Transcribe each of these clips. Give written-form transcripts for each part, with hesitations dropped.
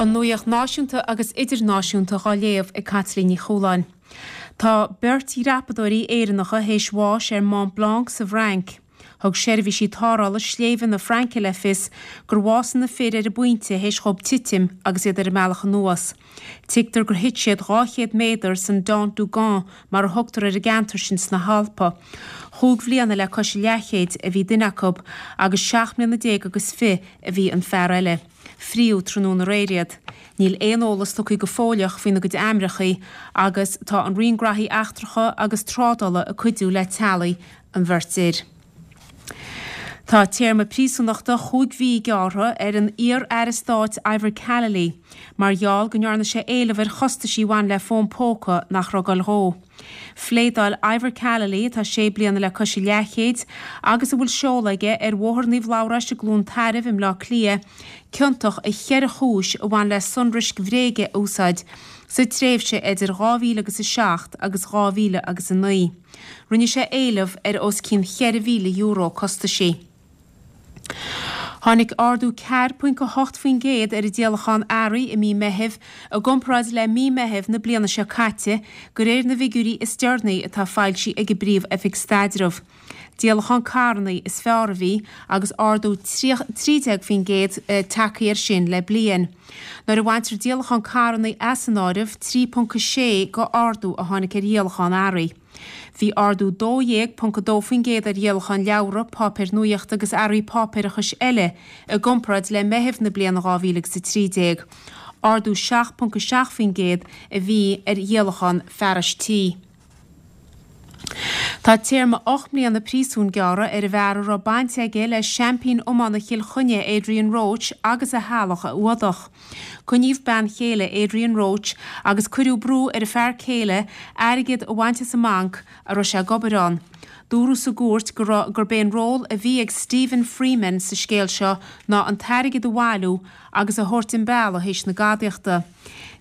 An nuacht náisiúnta agus idirnáisiúnta dhá léamh ag Caitlín Ní Chualáin. Tá beirt dhreapadóirí Éireannacha théis bháis ar Mont Blanc sa bhFrainc. Thug seirbhísí tarrthála sléibhe na Fraince le fios gur bhásaigh na fir ar an bpointe théis dhóibh titim agus iad ar a mbealach anuas. Tuigtear gur thit siad 200 méadar san Dent du Gand mar a thugtar ar an gceantar sin sna hAlpa. Chúig bhliana le cois a leathchéid a bhí duine acu agus seacht mbliana déag agus fi a bhí an fear eile. Fríodh tráthnóna aréir iad. Níl aon eolas tugtha go fóilleach faoina gcuid ainmneacha agus tá an Roinn Graithí Eachtracha agus Trádála ag cuidiú le teaghlaigh an bheirt fhir. Tá téarma príosúnachta chúig mhí gearrtha ar an iar-aire stáit Ivor Callely mar gheall go ndearna sé éileamh ar chostaisí a bhain le fón póca nach raibh ag dul dhó. Phléadáil Ivor Callely, atá sé bliana le cois a leathchéid agus a bhfuil seoladh aige ar Bhóthar Naomh Labhráis i gCluain Tairbh i mBleá Cliath, ciontach i cheithre chúis a bhain le sonraisc bhréige a úsáid sa tréimhse idir 2000 agus 7 agus 2000 agus 9. Rinne sé éileamh ar os cionn €4,000 costaisí. Tháinig ardú 4.8% ar an díolachán earraí i mí Meithimh i gcomparáid le mí Meithimh na bliana seo caite, de réir na bhfigiúirí is deireanaí atá foilsithe ag an bPríomh-Oifig Staidrimh. Díolachán carranna is fearr a bhí agus ardú 13% tagtha air sin le bliain. Nuair a bhaintear díolachán carranna as an áireamh, 3.6 go ardú a tháinig ar dhíolachán earraí. Bhí ardú 12.2% ar dhíolachán leabhra, páipéir nuachta agus earraí páipéarachais eile i gcomparáid le Meitheamh na bliana 2013. Ardú 7.7% a bhí ar dhíolachán fearais tí. Tá téarma 8 mbliana príosúin gearrtha ar an bhfear a raibh baint aige le seaimpín iomána Chill Chainnigh Adrian Roche agus a theaghlach a fhuadach. Coinníodh bean chéile Adrian Roche agus cuireadh brú ar a fear céile airgead a bhaint as an mbanc a raibh sé ag obair ann. Dúradh sa gcúirt go raibh gurb é an ról a bhí ag Stephen Freeman sa scéal seo ná an t-airgead a bhailiú agus a thabhairt an bealach théis na gadaíochta.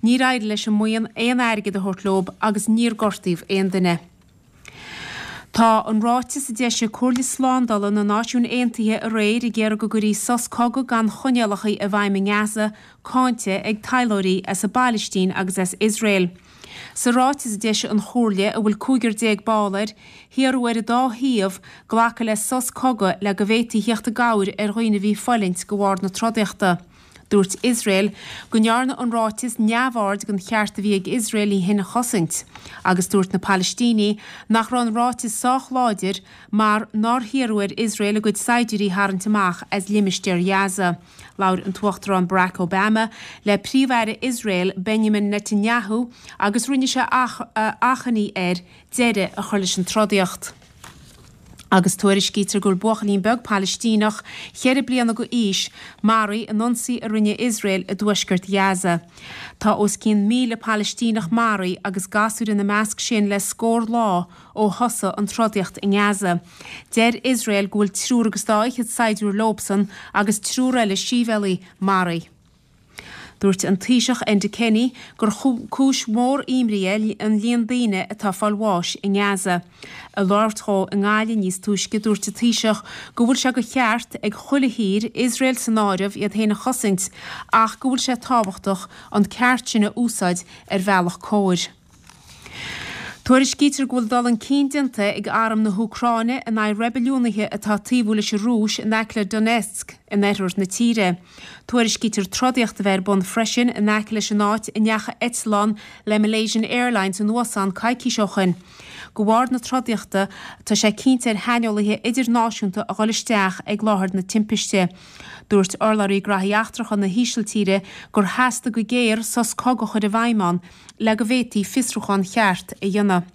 Níor éirigh leis an mbuíon aon airgead a thabhairt leo agus níor gortaíodh aon duine. Tá an ráiteas a d'eisigh Comhairle Slándála na Náisiún Aontaithe aréir ag iarraidh go gcuirfí sos cogaidh gan choinníollacha i bhfeidhm i nGaza cáinte ag taidhleoirí as an bPailistín agus as Iosrael. Sa ráiteas a d'eisigh an Chomhairle, a bhfuil 15 ball air, hiarradh ar an dá thaobh glacadh le sos cogaidh le go bhféadfaí theacht i gcabhair ar dhaoine a bhí ag fulaingt de bharr na trodaíochta. Dúirt Iosrael go ndearna an ráiteas neamhaird den cheart a bhí ag Iosrael í féin a chosaint agus dúirt na Palaistínigh nach raibh an ráiteas sách láidir mar nár hiarradh ar Iosrael a gcuid saighdiúirí a tharraingt amach as limistéar Ghaza. Labhair an tUachtarán Barack Obama le Príomh-Aire Iosrael Benjamin Netanyahu agus rinne sé achainí air deireadh a chur leis an trodaíocht. Agus tuairiscítear go bhfuil buachaillín beag Palaistíneach, cheithre bliana go aois, maraithe in ionsaí a rinne Iosrael i dtuaisceart Ghaza. Tá os cionn 1,000 Palaistíneach maraithe agus gasúir ina measc sin le scór lá ó thosaigh an trodaíocht i nGaza. Deir Iosrael go bhfuil triúr agus dá fhichead saighdiúir leobsan agus triúr eile sibhialaigh maraithe. Dúirt an Taoiseach Enda Kenny gur cúis mhór imní é an líon daoine atá ag fáil bháis i nGaza. Ag labhairt dhó i nGaillimh níos túisce dúirt an Taoiseach go bhfuil sé de cheart ag chuile thír, Iosrael san áireamh, iad féin a chosaint ach go bhfuil sé tábhachtach an ceart sin a úsáid ar bhealach cóir. Tuairiscítear go bhfuil dul chun cinn déanta ag arm na hÚcráine in aghaidh reibiliúnaithe atá ag taobhú leis an Rúis in aice le Donetsk in oirthear na tíre. Tuairiscítear trodaíocht a bheith ar bun freisin in aice leis an áit a ndeachaigh eitleán le Malaysian Airlines anuas ann coicís ó shin. De bharr na trodaíochta, tá sé cinnte ar shaineolaithe idirnáisiúnta a dhul isteach ag láthair na timpiste. Dúirt urlabhraí Graithí Eachtracha na hÍsiltíre gur theastaigh go géar sos cogaidh a chur i bhfeidhm ann le go bhféadfaí fiosrúchán cheart a dhéanamh.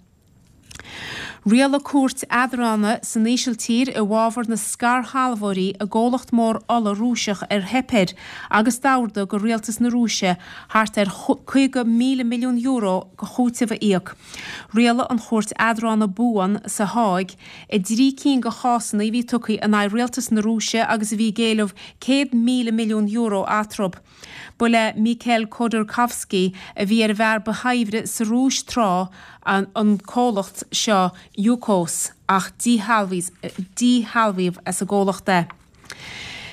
Rialaigh cúirt eadrána san Ísiltír i bhfabhar na scairshealbhóirí i gcomhlacht mór ola Rúiseach ar theip air agus d'ordaigh do rialtas na Rúise thart ar €50,000 milliún de chúiteamh a íoc. Rialaigh an chúirt eadrána buan sa Háig i dtrí cinn de chásanna a bhí tugtha in aghaidh rialtas na Rúise agus a bhí ag éileamh €100,000 milliún eatarthu. Ba le Mikhail Khodorkovsky, a bhí ar an bhfear ba shaibhre sa Rúis tráth, an comhlacht seo Yukos ach díshealbhaíodh as an gcomhlacht é.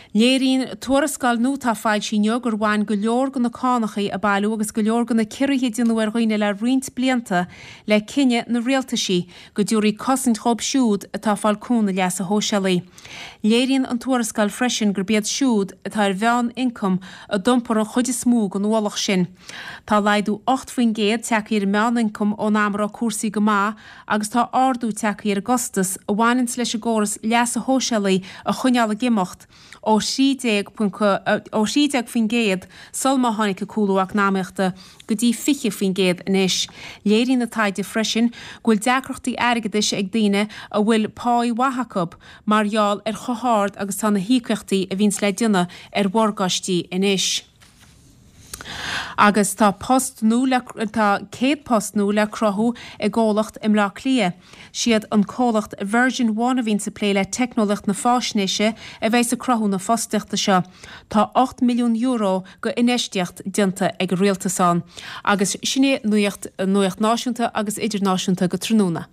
Léiríonn tuarascáil nua atá foilsithe inniu gur bhain go leor de na cánachaí a bailiodh agus go leor de na ciorruithe a déanadh ar dhaoine le roinnt blianta le cinneadh na rialtaisí go dtabharfaí cosaint dhóibh siúd atá ag fáil cúnamh leasa shóisialaigh. Léiríonn an tuarascáil freisin gurb iad siúd atá ar mheán-ioncam a d'iompar an chuid is mó den ualach sin. Tá laghdú 8% tagtha ar an meán-ioncam ón am a raibh cúrsaí go maith agus tá ardú tagtha ar an gcostas a bhaineanns leis an gcóras leasa shóisialaigh a choinneáil ag imeacht ó 13% sul má tháinig an cúlú eacnamaíochta go dtí 20% anois. Léiríonn an taighde freisin go bhfuil deacrachtaí airgeadais ag daoine a bhfuil páí mhaith acu mar gheall ar chomh hard agus tá na híocaíochtaí a bhíonns le déanamh ar mhorgáistí anois. Agus tá post nua le, tá 100 post nua le cruthú i gcomhlacht i mBleá Cliath. Siad an comhlacht Version One a bhíonns ag plé le teicneolaíocht na fáisnéise a bheidhs ag cruthú na fostaíochta seo. Tá €8 milliún go infheistíocht déanta ag an rialtas ann. Agus sin é nuacht, nuacht náisiúnta agus idirnáisiúnta go tráthnóna.